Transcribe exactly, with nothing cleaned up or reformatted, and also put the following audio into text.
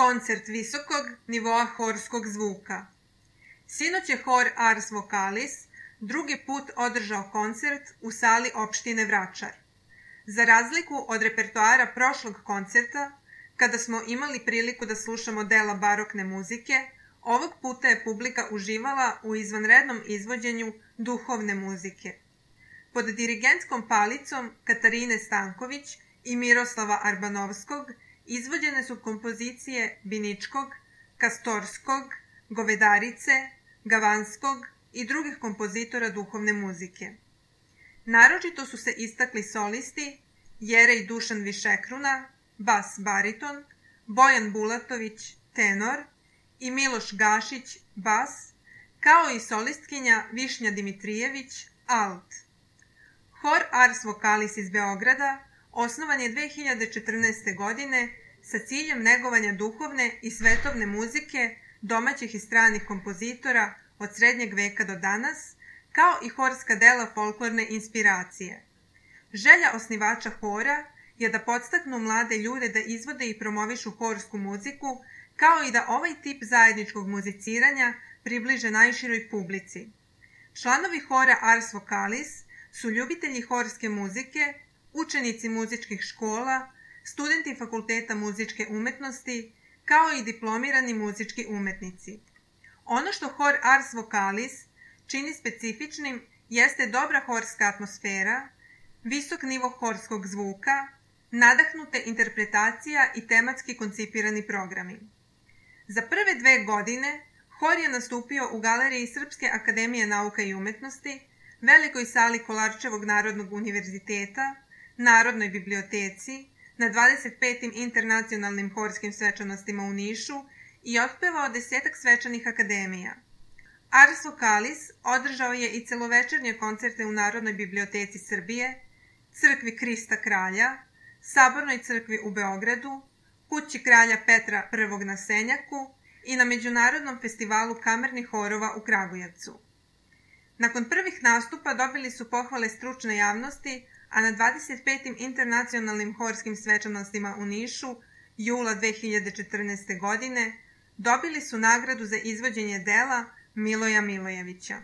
koncert visokog nivoa horskog zvuka. Sinoć je hor Ars Vocalis drugi put održao koncert u sali opštine Vračar. Za razliku od repertoara prošlog koncerta, kada smo imali priliku da slušamo dela barokne muzike, ovog puta je publika uživala u izvanrednom izvođenju duhovne muzike. Pod dirigentskom palicom Katarine Stanković i Miroslava Arbanovskog izvođene su kompozicije Biničkog, Kastorskog, Govedarice, Gavanskog i drugih kompozitora duhovne muzike. Naročito su se istakli solisti Jerej Dušan Višekruna, bas bariton, Bojan Bulatović, tenor i Miloš Gašić, bas, kao i solistkinja Višnja Dimitrijević, alt. Hor Ars Vocalis iz Beograda osnovan je dve hiljade četrnaeste. godine sa ciljem negovanja duhovne i svetovne muzike domaćih i stranih kompozitora od srednjeg veka do danas, kao i horska dela folklorne inspiracije. Želja osnivača hora je da podstaknu mlade ljude da izvode i promovišu horsku muziku, kao i da ovaj tip zajedničkog muziciranja približe najširoj publici. Članovi hora Ars Vocalis su ljubitelji horske muzike, učenici muzičkih škola, studenti Fakulteta muzičke umetnosti, kao i diplomirani muzički umetnici. Ono što hor Ars Vocalis čini specifičnim jeste dobra horska atmosfera, visok nivo horskog zvuka, nadahnute interpretacija i tematski koncipirani programi. Za prve dve godine hor je nastupio u galeriji Srpske akademije nauka i umetnosti, velikoj sali Kolarčevog narodnog univerziteta, Narodnoj biblioteci, na dvadeset petim internacionalnim horskim svečanostima u Nišu i otpevao desetak svečanih akademija. Ars Vocalis održao je i celovečernje koncerte u Narodnoj biblioteci Srbije, Crkvi Krista Kralja, Sabornoj crkvi u Beogradu, Kući kralja Petra prvog na Senjaku i na Međunarodnom festivalu kamernih horova u Kragujevcu. Nakon prvih nastupa dobili su pohvale stručne javnosti, a na dvadeset petim internacionalnim horskim svečanostima u Nišu, jula dve hiljade četrnaeste. godine, dobili su nagradu za izvođenje dela Miloja Milojevića.